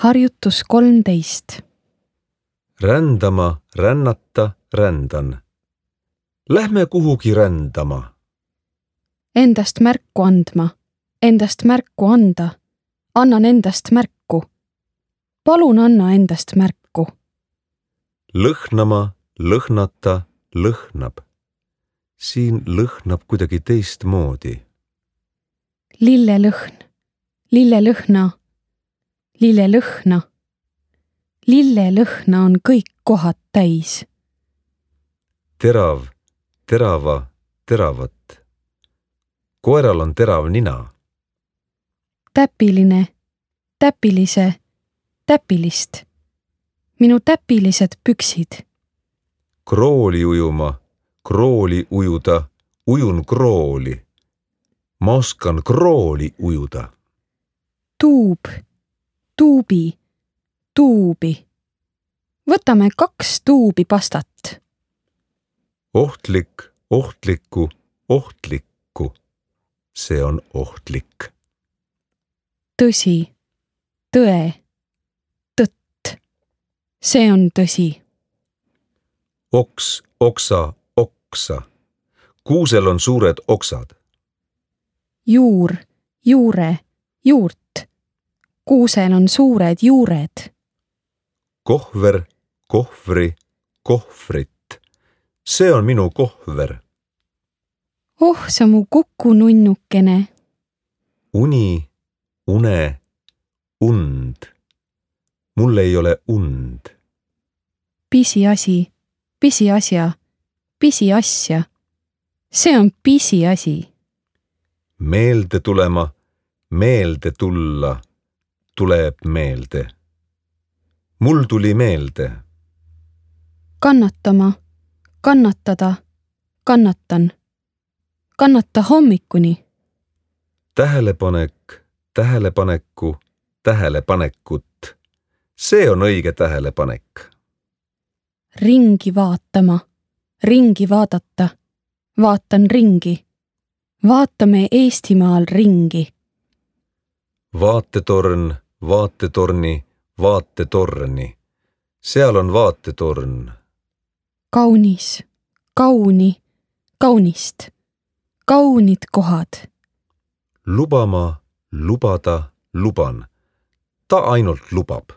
Harjutus 13. Rändama, rännata, rändan. Lähme kuhugi rändama. Endast märku andma, endast märku anda. Annan endast märku. Palun anna endast märku. Lõhnama, lõhnata, lõhnab. Siin lõhnab kuidagi teistmoodi. Lillelõhn, lillelõhna, lillelõhna. Lillelõhna on kõik kohad täis. Terav, terava, teravat. Koeral on terav nina. Täpiline, täpilise, täpilist. Minu täpilised püksid. Krooli ujuma, krooli ujuda, ujun krooli. Ma oskan krooli ujuda. Tuub, tuubi, tuubi. Võtame 2 tuubi pastat. Ohtlik, ohtlikku, ohtlikku. See on ohtlik. Tõsi, tõe, tõtt. See on tõsi. Oks, oksa, oksa. Kuusel on suured oksad. Juur, juure, juurt. Kuusel on suured juured. Kohver, kohvri, kohvrit. See on minu kohver. Oh, sa mu kukununnukene. Uni, une, und. Mul ei ole und. Pisiasi, pisiasja, pisiasja. See on pisiasi. Meelde tulema, meelde tulla, tuleb meelde. Mul tuli meelde. Kannatama, kannatada, kannatan. Kannata hommikuni. Tähelepanek, tähelepaneku, tähelepanekut. See on õige tähelepanek. Ringi vaatama, ringi vaadata. Vaatan ringi. Vaatame Eestimaal ringi. Vaatetorn, vaatetorni, vaatetorni. Seal on vaatetorn. Kaunis, kauni, kaunist. Kaunid kohad. Lubama, lubada, luban. Ta ainult lubab.